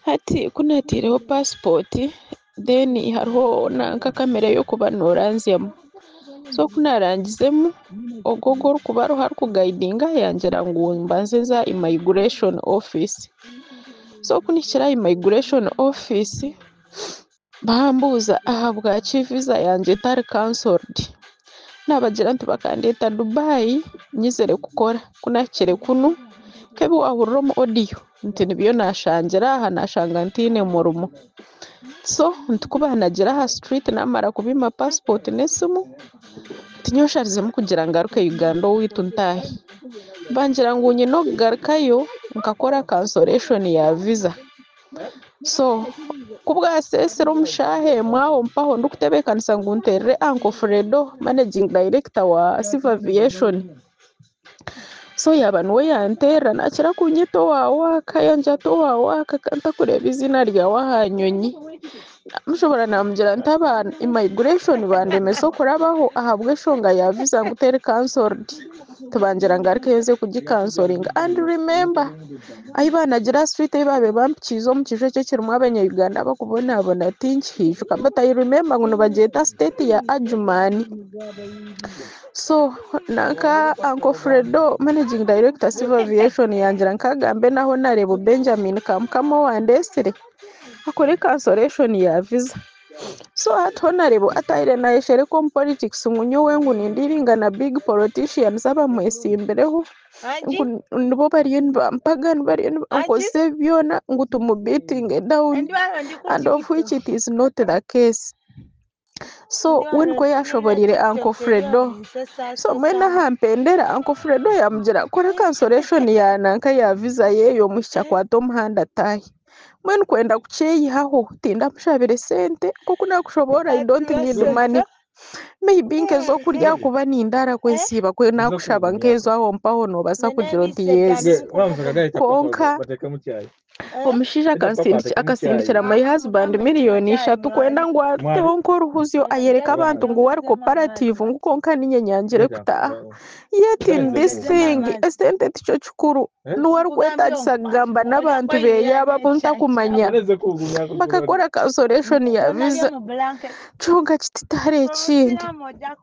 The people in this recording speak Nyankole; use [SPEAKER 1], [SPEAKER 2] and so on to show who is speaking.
[SPEAKER 1] Hati ku naataireho paasipooti then hariho nanka kamera y'okuba nooranzyamu. So ku naarangizemu, ogwo ogu orikuba ariho arikugayidinga yangira ngu mbanze nze aha immigration office. So ku nihikire aha immigration office, bambuuza ahabwaki visa yangye etari cancelled. Naabagira nti bakandeeta Dubai nyizire kukora, ku naahikire kunu nk'ebi waahurira omu audio nti nibyo naashangire aha naashanga ntaine murimo. So nti ku baanagira aha street naamara kubiima passport n'esimu, tinyowe nsharizemu kugira ngaruke Uganda owaitu ntaahe. Bangira ngu nyine okugarukayo nkakora cancellation ya visa. So ku bwaseesire omu shaaha emwe aho mpaho ndikutebeekanisa ngu nteerere Uncle Fredo managing director wa Civil Aviation. So yaaba niwe yanteerera naakira kunyeta owa waaka yangira ati owa waaka ka ntakureeba eiziina ryawe aha nyonyi. Namushobora namugira nti aba immigration bandemesa okurabaho ahabw'enshonga ya visa ngu teri cancelled. Tibangira ngaruke nze kugicancelinga and remember ahi banagira aha street ahi baabaire bampikiize omu kiju ekyo ekirimu abanya-Uganda abakubonabona tinkihijuka but I remember ngu nibagyeta state ya Adjumani. So nanka Uncle Fredo managing director Civil Aviation yangira nkagambe na Honorable Benjamin Kamukama owandeesire akore cancellation ya visa. So hati Honorable atahire nayeshereka omu politics ngu nyowe ngu nindealinga na big politicians abamwesimbireho ngu nibo bariyo nibampaga bariyo nibankozesa ebi byona ngu tumubeatinge down and of which it is not the case. So we nikwo yashoboreire Uncle Fredo. So mbwenu aha mpendera Uncle Fredo yamugira kora cancellation ya nanka ya visa yeeye omwishiki akwate omuhanda ataahe. Mbwenu kwenda kukyeyihaho tindamushabire sente nk'oku nakushoboora I don't need money. Maybe nk'ez'okurya ahakuba nindaara kwensiiba ku nakushaba nk'ezo aho mpaho noobaasa kugira oti yes. Kwonka omushaija akasindikira my husband miliyoni 3 kwenda ngu ateho nk'oruhuzyo ayereke abantu ngu we ari cooperative ngu kwonka niinye nyangire kutaaha. Yet in this thing esente tikyo kikuru niwe arikwetaagisa kugamba n'abantu beeye abo abu ntakumanya bakakora cancellation ya visa kyonka kiti tihariho ekindi.